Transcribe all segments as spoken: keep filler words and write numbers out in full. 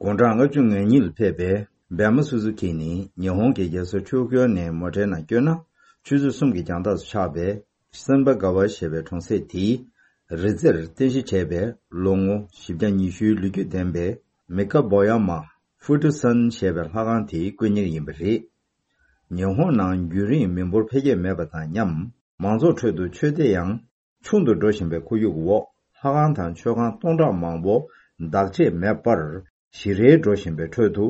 དགུང་གྲངས་ལྔ་བཅུ་ང་གཉིས་ལ་ཕེབས་པའི་བན་མ་སུ་ཛུ་ཀི་ནི་ཉི་ཧོང་གི་རྒྱལ་ས་ཊོ་ཀྱོ་ནས་མོ་ཊའི་ནང་བསྐྱོད་ན་ཆུ་ཚོད་གསུམ་གྱི་རྒྱང་ཐག་ཏུ་ཆགས་པའི་སེམ་པ་ག་བ་ཞེས་པའི་གྲོང་གསེབ་དེའི་རི་རྩེར་རྟེན་གཞི་བྱས་པའི་ལོ་ངོ་བཞི་བརྒྱ་ཉི་ཤུའི་ལོ་རྒྱུས་ལྡན་པའི་མི་ཀ་བོ་ཡ་མ་ཧྥུ་ཏྲ་སན་ཞེས་པའི་ལྷ་ཁང་དེའི་དཀོན་གཉེར་ཡིན་པ་རེད། ཉི་ཧོང་ནང་རྒྱུན་རིང་མི་འབོར་འཕེལ་རྒྱས་མེད་པ་དང་མཉམ་མང་ཚོགས་ཁྲོད་དུ་ཆོས་དད་ཡང་ཆུང་དུ་འགྲོ་བཞིན་པའི་ཁོར་ཡུག་འོག་ལྷ་ཁང་དང་མཆོད་ཁང་སྟོང་ཕྲག་མང་པོ་བདག་གཅེས་མེད་པར་ཞིག་རལ་འགྲོ་བཞིན་པའི་ཁྲོད་དུ་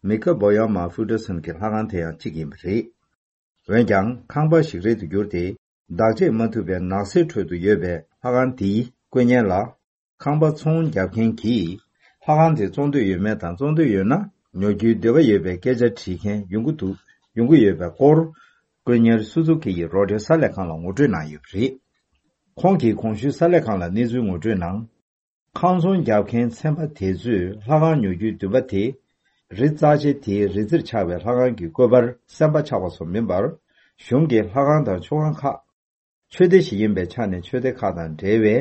མི་ཀ་བོ་ཡ་མ་ཧྥུ་ཏྲ་སན་གྱི་ལྷ་ཁང་དེ་ཡང་གཅིག་ཡིན་པ་རེད། འོན་ཀྱང་ཁང་པ་ཞིག་རལ་དུ་གྱུར་ཏེ་བདག་གཅེས་མ་ཐུབ་པའི་ནགས་གསེབ་ཁྲོད་དུ་ཡོད་པའི་ལྷ་ཁང་དེའི་དཀོན་གཉེར་ལ་ཁང་པ་ཚོང་རྒྱག་མཁན་གྱིས་ལྷ་ཁང་དེ་བཙོང་འདོད་ཡོད་མེད་དང་བཙོང་འདོད་ཡོད་ན་ཉོ་རྒྱུའི་འདོད་པ་ཡོད་པའི་སྐད་ཆ་དྲིས་མཁན་ཡོང་གི་འདུག་ཡོང་གི་ཡོད་པའི་སྐོར་དཀོན་གཉེར་སུ་ཛུ་ཀི་ཡིས་རོའི་ཊར་གསར་ལས་ཁང་ལ་ངོ་སྤྲོད་གནང་ཡོད་པ་རེད། ཁོང་གིས་གོང་ཞུས་གསར་ལས་ཁང་ལ་གནས་ཚུལ་ངོ་སྤྲོད་ནང་། ཁང་ཚོང་རྒྱག་མཁན་ཚན་པ་དེ་ཚོས་ལྷ་ཁང་ཉོ་རྒྱུའི་འདུན་པ་དེ། རི་རྩ་ཆེ་དེའི་རི་རྩེར་ཆགས་པའི་ལྷ་ཁང་གི་བཀོད་པར་སེམས་པ་ཆགས་པ་སོགས་མིན་པར། གཞུང་གི་ལྷ་ཁང་དང་མཆོད་ཁང་ཁག་ཆོས་སྡེ་ཞིག་ཡིན་པའི་ཆ་ནས་ཆོས་སྡེ་ཁག་དང་འབྲེལ་བའི་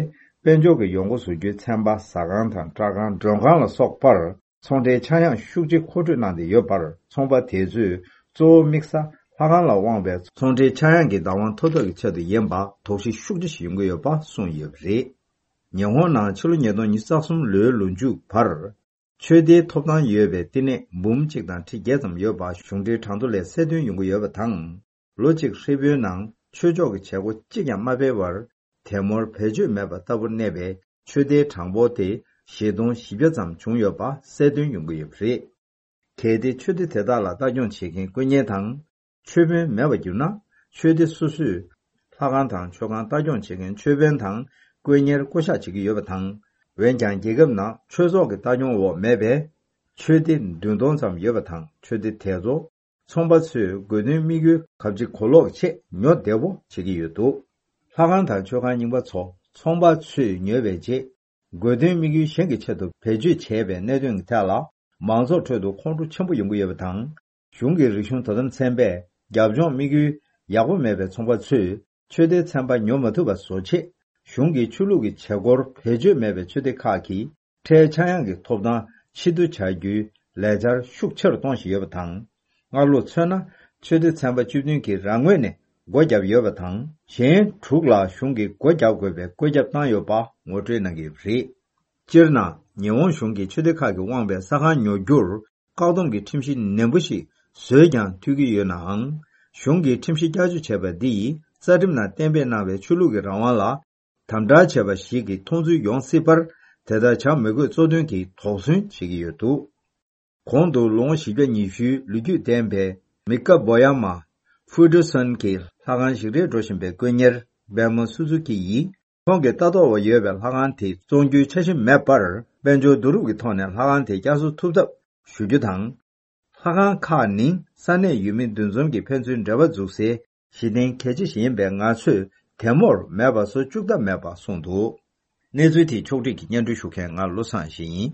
དཔལ་འབྱོར་གྱི་ཡོང་སྒོ་བཟོ་རྒྱུའི་ཚན་པ་ཟ་ཁང་དང་སྐྲ་ཁང་མགྲོན་ཁང་ལ་སོགས་པར་ཚོང་འབྲེལ་ཆག་ཡང་ཤུགས་ཆེ་མཁོ་སྤྲོད་གནང་སྟེ་ཡོད་པར། ཚོང་པ་དེ་ཚོས་གཙོ་བོ་དམིགས་ས་ལྷ་ཁང་ལ་དབང་བའི་ཚོང་འབྲེལ་ཆག་ཡང་གི་བདག་དབང་ཐོབ་ཐབས་ཀྱི་ཆེད་དུ་ཡིན་པ་དོགས་གཞི་ཤུགས་ཆེ་ཞིག་ཡོང་གི་ཡོད་པ་གསུངས་ཡོད་པ་རེད། ཉི་ཧོང་ནང་ཕྱི་ལོ་ཉིས་སྟོང་ཉི་ཤུ་རྩ་གསུམ་ལོའི་ལོ་མཇུག་བར། ཆོས་སྡེའི་ཐོབ་ཐང་ཡོད་པའི་བསྟི་གནས་འབུམ་གཅིག་དང་ཁྲི་བརྒྱད་ཙམ་ཡོད་པ་གཞུང་འབྲེལ་གྲངས་ཐོ་ལས་གསལ་སྟོན་ཡོང་གི་ཡོད་པ་དང་། ལོ་གཅིག་ཧྲིལ་པོའི་ནང་ཆོས་ཕྱོགས་ཀྱི་བྱེད་སྒོ་གཅིག་ཀྱང་མ་སྤེལ་བར། དེ་མུར་བེད་སྤྱོད་མེད་པ་ལྟ་བུར་གནས་པའི་ཆོས་སྡེའི་གྲངས་འབོར་དེ་བཞི་སྟོང་བཞི་བརྒྱ་ཙམ་བྱུང་ཡོད་པ་གསལ་སྟོན་ཡོང་གི་ཡོད་པ་རེད། གལ་ཏེ་ཆོས་སྡེ་དེ་དག་ལ་ལྟ་སྐྱོང་བྱེད་མཁན་དཀོན་གཉེར་དང་། ཆོས་དཔོན་མེད་པར་གྱུར་ན། ཆོས་སྡེ་སོ་སོས་ལྷ་ཁང་དང་མཆོད་ཁང་ལྟ་སྐྱོང་བྱེད་མཁན་ཆོས་དཔོན་དང་དཀོན་གཉེར་བསྐོ་གཞག་བྱེད་ཀྱི་ཡོད་པ་དང་། འོན་ཀྱང་རྒྱལ་ཁབ་ནང་ཆོས་ཚོགས་ཀྱི་ལྟ་སྐྱོང་འོག་མེད་པའི་ཆོས་སྡེ་བདུན་སྟོང་ཙམ་ཡོད་པ་དང་། ཆོས་སྡེ་དེ་ཚོ་ཚོང་པ་ཚོས་དགོས་འདུན་དམིགས་ཡུལ་གབ་ཅིག་གོ་ལོག་ཆེད་ཉོ་བདེ་བོ་བྱེད་ཀྱི་ཡོད་འདུག་ལྷ་ཁང་དང་མཆོད་ཁང་རྙིང་པ་ཚོ་ཚོང་པ་ཚོས་ཉོས་པའི་རྗེས། དགོས་འདུན་དམིགས་ཡུལ་གཞན་གྱི་ཆེད་དུ་བེད་སྤྱོད་བྱས་པའི་གནད་དོན་གྱི་ཐད་ལ་མང་ཚོགས་ཁྲོད་དུ་ཁོང་ཁྲོ་ཆེན་པོ་ཡོང་གི་ཡོད་པ་དང་། གཞུང་གི་རིག་གཞུང་དོ་དམ་ཚན་པས་རྒྱབ་ལྗོངས་དམིགས་ཡུལ་ཡག་པོ་མེད་པའི་ཚོང་པ་ཚོས་ཆོས་སྡེའི་ཚན་པ་ཉོ་མ་ཐུབ་པ་བཟོ་ཆེད། གཞུང་གིས་ཆོས་ལུགས་ཀྱི་བྱེད་སྒོར་བེད་སྤྱོད་མེད་པའི་ཆོས་སྡེ་ཁག་གི་ཁྲལ་ཆག་ཡང་གི་ཐོབ་ཐང་ཕྱིར་བསྡུ་བྱ་རྒྱུའི་ལས་འཆར་ཤུགས་ཆེ་རུ་གཏོང་བཞིན་ཡོད་པ་དང་། སྔ་ལོ་མཚོན་ན་ཆོས་སྡེ་ཚན་པ་བཅུ་བདུན་གྱིས་རང་ངོས་ནས་སྒོ་བརྒྱབ་ཡོད་པ་དང་། གཞན་དྲུག་ལ་གཞུང་གིས་སྒོ་བརྒྱབ་དགོས་པའི་བཀོད་ཁྱབ་བཏང་ཡོད་པ་ངོ་སྤྲོད་གནང་གི་ཡོད་པ་རེད། སྤྱིར་ན་ཉི་ཧོང་གཞུང་གིས་ཆོས་སྡེ་ཁག་གིས་དབང་བའི་ས་ཁང་ཉོ་རྒྱུར་བཀག་སྡོམ་གྱི་ཁྲིམས་གཞི་ནན་པོ་ཞིག་བཟོས་ཀྱང་འཐུས་ཀྱི་ཡོད་ནའང་། གཞུང་གིས་ཁྲིམས་གཞི་བསྐྱར་བཅོས་བྱས་པ་འདི་ཡིས་རྩ་ཁྲིམས་ནང་གཏན་འབེབས་གནང་བའི་ཆོས་ལུགས་ཀྱི་རང་དབང་ལ་དམ་དྲག་བྱས་པ་ཞིག་གི་མཐོང་ཚུལ་ཡོང་སྲིད་པར། དེ་ལྟར་བྱ་མི་དགོས་གཙོ་འདོན་གྱིས་དོགས་ཟོན་བྱེད་ཀྱི་ཡོད་འདུག་གོང་དུ་ལོ་ངོ་བཞི་བརྒྱ་ཉི་ཤུའི་ལོ་རྒྱུས་ལྡན་པའི་མི་ཀ་བོ་ཡ་མ་ཧྥུ་ཏྲ་སན་གྱི་ལྷ་ཁང་ཞིག་རལ་འགྲོ་བཞིན་པའི་དཀོན་གཉེར་བན་མོ་སུ་ཛུ་ཀི་ཡིས། ཁོང་གིས་ལྟ་རྟོག་འོག་ཡོད་པའི་ལྷ་ཁང་དེ་བཙོང་རྒྱུའི་འཆར་གཞི་མེད་པར། དཔལ་འབྱོར་བསྡུ་རུབ་ཀྱི་ཐོག་ནས་ལྷ་ཁང་དེ་བསྐྱར་གསོ་ཐུབ་ཐབས་ཞུ་རྒྱུ་དང་། ལྷ་ཁང་ཁག་ནི་ས་གནས་ཡུལ་མི་འདུ་འཛོམས་ཀྱི་ཕན་ཚུན་འབྲེལ་བ་འཛུགས་སའི་གཞི་རྟེན་གལ་ཆེ་ཞིག་ཡིན་པས། ང་ཚོས་དེ་མུར་མེད་པ་བཟོ་བཅུག་ཐབས་མེད་པ་གསུངས་འདུག་གནས་ཚུལ་དེ་ཕྱོགས་བསྒྲིགས་ཀྱིས་སྙན་སྒྲོན་ཞུ་མཁན་ང་བློ་བཟང་ཡེ་ཤེས་ཡིན།